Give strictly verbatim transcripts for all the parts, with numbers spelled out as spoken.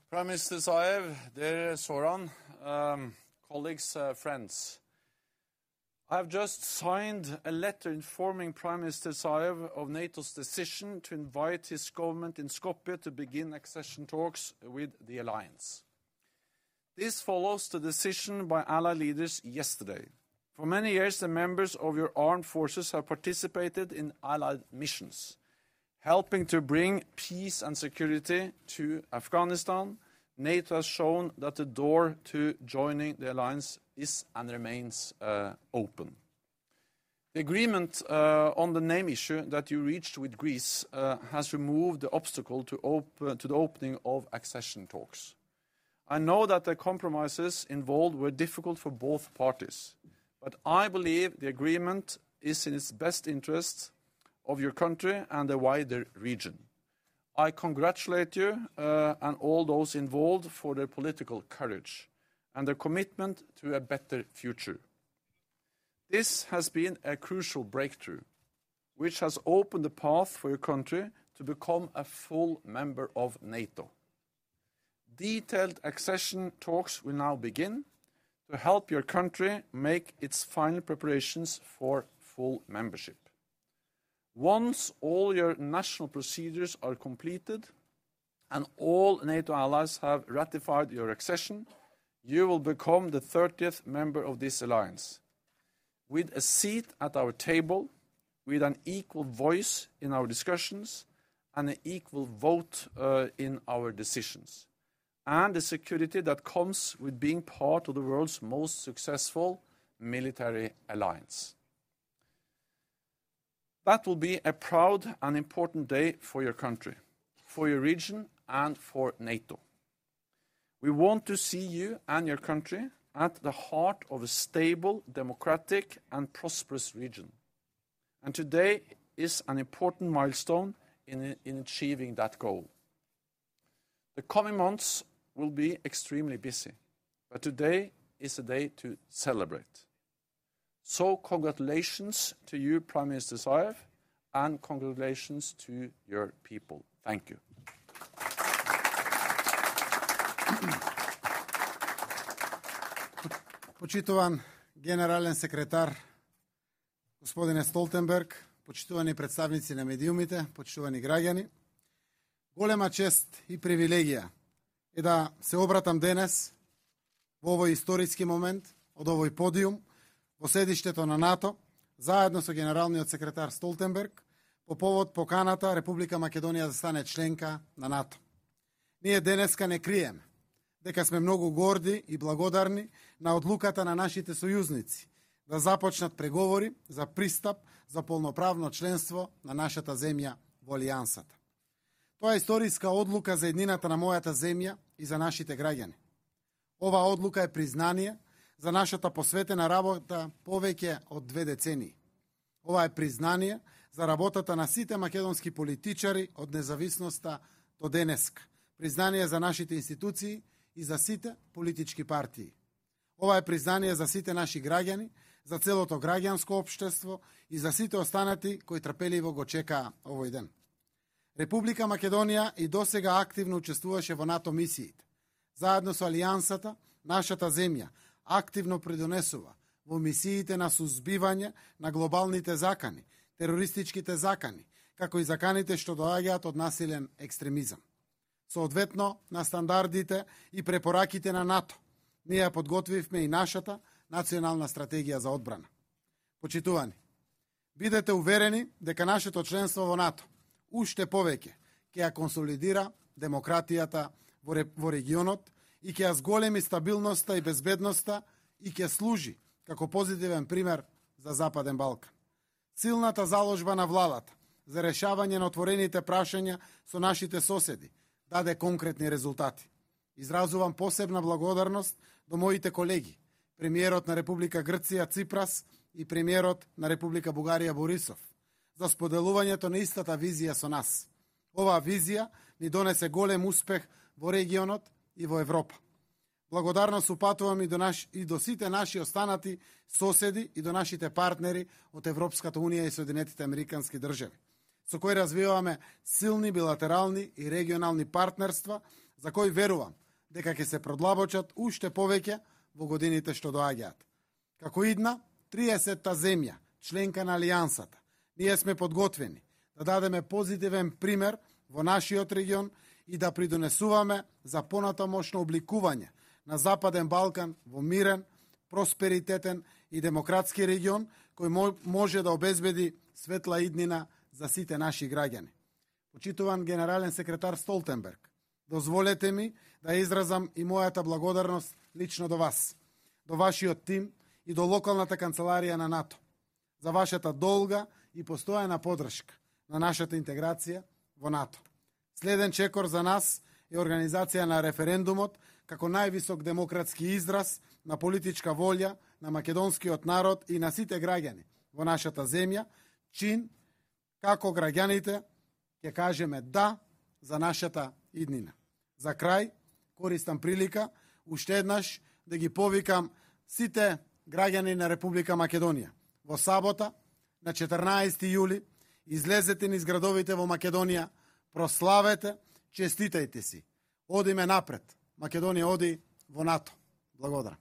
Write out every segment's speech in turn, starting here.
Prime Minister Zaev, dear Zoran, um, colleagues, uh, friends. I have just signed a letter informing Prime Minister Zaev of NATO's decision to invite his government in Skopje to begin accession talks with the alliance. This follows the decision by allied leaders yesterday. For many years, the members of your armed forces have participated in allied missions, helping to bring peace and security to Afghanistan. NATO has shown that the door to joining the alliance is and remains uh, open. The agreement uh, on the name issue that you reached with Greece uh, has removed the obstacle to, op- to the opening of accession talks. I know that the compromises involved were difficult for both parties, but I believe the agreement is in its best interest of your country and the wider region. I congratulate you uh, and all those involved for their political courage and their commitment to a better future. This has been a crucial breakthrough, which has opened the path for your country to become a full member of NATO. Detailed accession talks will now begin to help your country make its final preparations for full membership. Once all your national procedures are completed and all NATO allies have ratified your accession, you will become the thirtieth member of this alliance, with a seat at our table, with an equal voice in our discussions, and an equal vote uh, in our decisions, and the security that comes with being part of the world's most successful military alliance. That will be a proud and important day for your country, for your region, and for NATO. We want to see you and your country at the heart of a stable, democratic, and prosperous region. And today is an important milestone in, in achieving that goal. The coming months will be extremely busy, but today is a day to celebrate. So congratulations to you, Prime Minister Zaev, and congratulations to your people. Thank you. Почитуван генерален секретар, господине Столтенберг, почитувани представници на медиумите, почитувани граѓани, голема чест и привилегија е да се обратам денес во овој историски момент од овој подиум во седиштето на НАТО, заедно со генералниот секретар Столтенберг, по повод поканата Република Македонија да стане членка на НАТО. Ние денеска не криеме дека сме многу горди и благодарни на одлуката на нашите сојузници да започнат преговори за пристап за полноправно членство на нашата земја во Алијансата. Тоа е историска одлука за еднината на мојата земја и за нашите граѓани. Ова одлука е признание за нашата посветена работа повеќе од две децении. Ова е признание за работата на сите македонски политичари од независноста до денеска. Признание за нашите институции и за сите политички партии. Ова е признание за сите наши граѓани, за целото граѓанско општество и за сите останати кои трпеливо го чекаа овој ден. Република Македонија и досега активно учествуваше во НАТО мисиите. Заедно со Алијансата, нашата земја активно придонесува во мисиите на сузбивање на глобалните закани, терористичките закани, како и заканите што доаѓаат од насилен екстремизам. Соодветно на стандардите и препораките на НАТО, ние подготвивме и нашата национална стратегија за одбрана. Почитувани, бидете уверени дека нашето членство во НАТО уште повеќе ќе ја консолидира демократијата во регионот и ќе ја зголеми стабилноста и безбедноста и ќе служи како позитивен пример за Западен Балкан. Силната заложба на владата за решавање на отворените прашања со нашите соседи даде конкретни резултати. Изразувам посебна благодарност до моите колеги, премиерот на Република Грција Ципрас и премиерот на Република Бугарија Борисов, за споделувањето на истата визија со нас. Оваа визија ни донесе голем успех во регионот и во Европа. Благодарност упатувам и до, наш, и до сите наши останати соседи и до нашите партнери од Европската Унија и Соединетите Американски држави, со кои развиваме силни билатерални и регионални партнерства за кој верувам дека ќе се продлабочат уште повеќе во годините што доаѓаат. Како идна триесетта земја, членка на Алијансата, ние сме подготвени да дадеме позитивен пример во нашиот регион и да придонесуваме за понатамошно обликување на Западен Балкан во мирен, просперитетен и демократски регион кој може да обезбеди светла иднина за сите наши граѓани. Почитуван генерален секретар Столтенберг, дозволете ми да изразам и мојата благодарност лично до вас, до вашиот тим и до локалната канцеларија на НАТО, за вашата долга и постојана поддршка на нашата интеграција во НАТО. Следен чекор за нас е организација на референдумот како највисок демократски израз на политичка волја на македонскиот народ и на сите граѓани во нашата земја, чин како граѓаните ќе кажеме да за нашата иднина. За крај, користам прилика уште еднаш да ги повикам сите граѓани на Република Македонија. Во сабота, на четрнаесети јули, излезете низ градовите во Македонија, прославете, честитајте си. Одиме напред. Македонија оди во НАТО. Благодарам.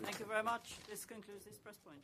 Thank you very much. This concludes this press point.